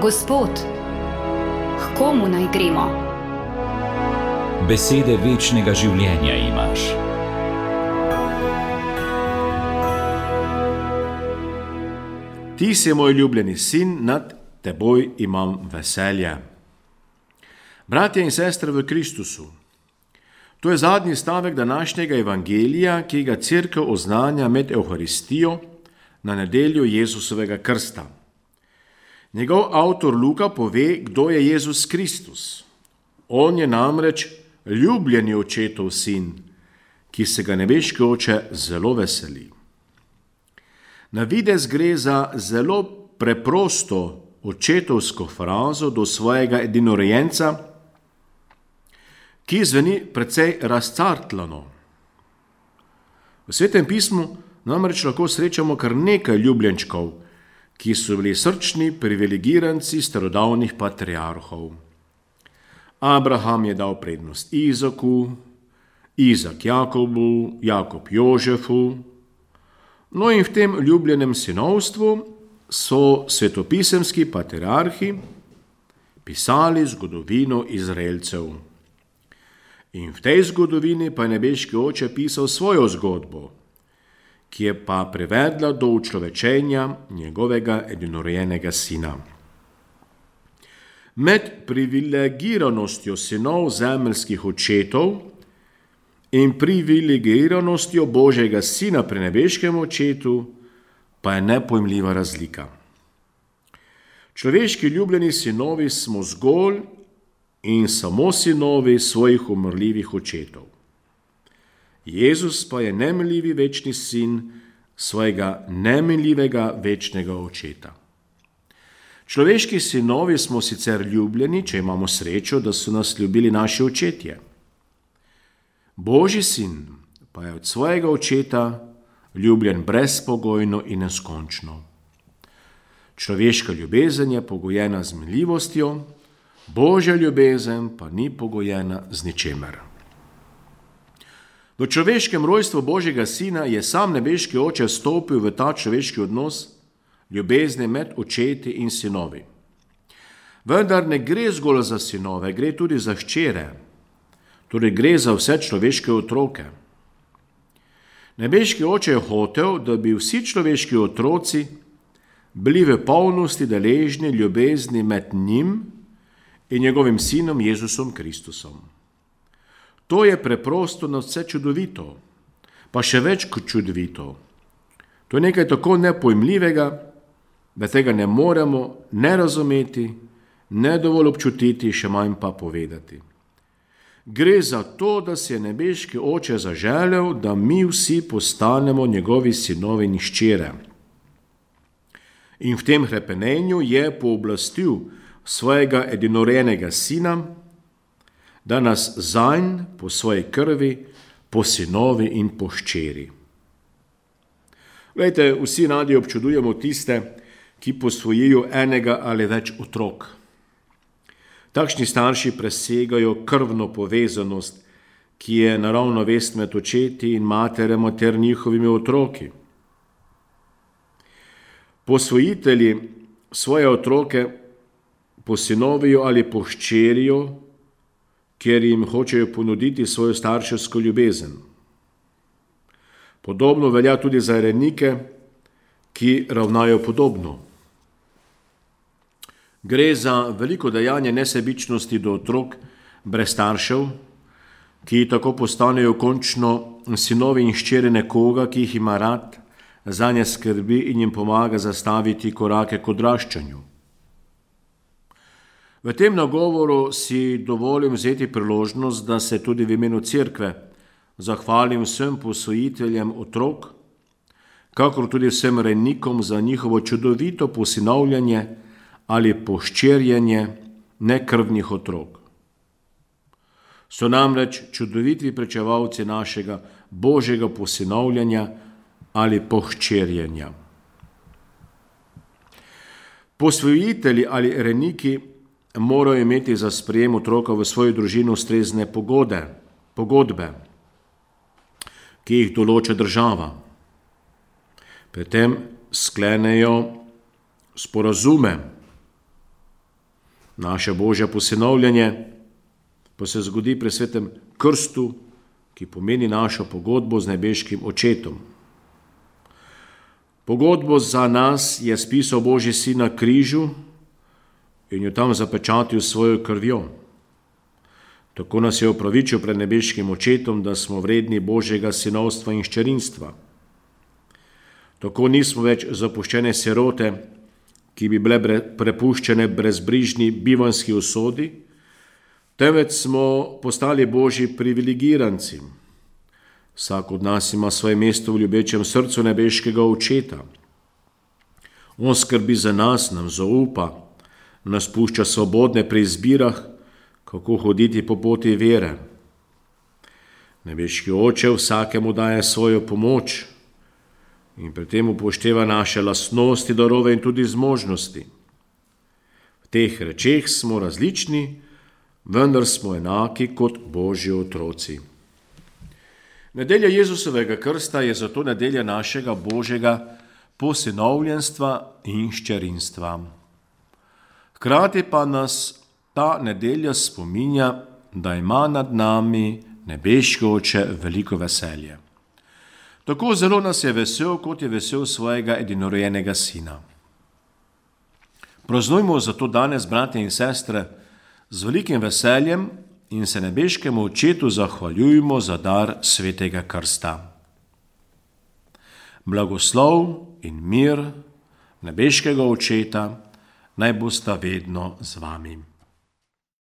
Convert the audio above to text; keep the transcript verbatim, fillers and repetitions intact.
Gospod, k komu naj gremo? Besede večnega življenja imaš. Ti si moj ljubljeni sin, nad teboj imam veselje. Bratje in sestre v Kristusu, to je zadnji stavek današnjega evangelija, ki ga cerkev oznanja med Evharistijo na nedeljo Jezusovega krsta. Njegov avtor Luka pove, kdo je Jezus Kristus. On je namreč ljubljeni očetov sin, ki se ga nebeški oče zelo veseli. Na videz gre za zelo preprosto očetovsko frazo do svojega edinorojenca, ki zveni precej razcartlano. V Svetem pismu namreč lahko srečamo kar nekaj ljubljenčkov, ki so bili srčni privilegiranci starodavnih patriarhov. Abraham je dal prednost Izaku, Izak Jakobu, Jakob Jožefu. No in v tem ljubljenem sinovstvu so svetopisemski patriarhi pisali zgodovino Izraelcev. In v tej zgodovini pa je nebeški oče pisal svojo zgodbo, ki je pa privedla do učlovečenja njegovega edinorojenega sina. Med privilegiranostjo sinov zemeljskih očetov in privilegiranostjo Božjega sina pri nebeškem očetu pa je nepojmljiva razlika. Človeški ljubljeni sinovi smo zgolj in samo sinovi svojih umrljivih očetov. Jezus pa je neminljivi večni sin svojega neminljivega večnega očeta. Človeški sinovi smo sicer ljubljeni, če imamo srečo, da so nas ljubili naši očetje. Božji sin pa je od svojega očeta ljubljen brezpogojno in neskončno. Človeška ljubezen je pogojena z miljivostjo, Božja ljubezen pa ni pogojena z ničemer. V človeškem rojstvu Božjega sina je sam nebeški oče stopil v ta človeški odnos ljubezni med očeti in sinovi. Vendar ne gre zgolj za sinove, gre tudi za hčere, torej gre za vse človeške otroke. Nebeški oče je hotel, da bi vsi človeški otroci bili v polnosti deležni ljubezni med njim in njegovim sinom Jezusom Kristusom. To je preprosto nadvse čudovito, pa še več kot čudovito. To je nekaj tako nepojmljivega, da tega ne moremo ne razumeti, ne dovolj občutiti, še manj pa povedati. Gre za to, da si je nebeški oče zaželel, da mi vsi postanemo njegovi sinovi in hčere. In v tem hrepenenju je pooblastil svojega edinorojenega sina, da nas zanj po svoji krvi, po sinovi in po hčeri. Glejte, vsi radi občudujemo tiste, ki posvojijo enega ali več otrok. Takšni starši presegajo krvno povezanost, ki je naravna vez med očeti in materema ter njihovimi otroki. Posvojitelji svoje otroke posinovijo ali pohčerijo, ker jim hočejo ponuditi svojo starševsko ljubezen. Podobno velja tudi za renike, ki ravnajo podobno. Gre za veliko dejanje nesebičnosti do otrok brez staršev, ki tako postanejo končno sinovi in hčere nekoga, ki jih ima rad, zanje skrbi in jim pomaga zastaviti korake k odraščanju. V tem nagovoru si dovolim vzeti priložnost, da se tudi v imenu cerkve zahvalim vsem posvojiteljem otrok, kakor tudi vsem rejnikom za njihovo čudovito posinovljanje ali pohčerjenje nekrvnih otrok. So namreč čudoviti pričevalci našega Božjega posinovljanja ali pohčerjenja. Posvojitelji ali rejniki morajo imeti za sprejem otroka v svojo družino ustrezne pogode, pogodbe, ki jih določa država. Pri tem sklenejo sporazume Naše božje posinovljenje pa se zgodi pri svetem krstu, ki pomeni našo pogodbo z nebeškim očetom. Pogodbo za nas je spisal Božji sin na križu in jo tam zapečatil s svojo krvjo. Tako nas je opravičil pred nebeškim očetom, da smo vredni Božjega sinovstva in hčerinstva. Tako nismo več zapuščene sirote, ki bi bile prepuščene brezbrižni bivanski usodi, temveč smo postali Božji privilegiranci. Vsak od nas ima svoje mesto v ljubečem srcu nebeškega očeta. On skrbi za nas, nam zaupa, nas pušča svobodne pri izbirah, kako hoditi po poti vere. Nebeški oče vsakemu daje svojo pomoč in pri tem upošteva naše lastnosti, darove in tudi zmožnosti. V teh rečeh smo različni, vendar smo enaki kot Božji otroci. Nedelja Jezusovega krsta je zato nedelja našega Božjega posinovljenstva in hčerinstva. Hkrati pa nas ta nedelja spominja, da ima nad nami nebeški oče veliko veselje. Tako zelo nas je vesel, kot je vesel svojega edinorojenega sina. Praznujmo zato danes, bratje in sestre, z velikim veseljem in se nebeškemu očetu zahvaljujmo za dar svetega krsta. Blagoslov in mir nebeškega očeta naj bosta vedno z vami.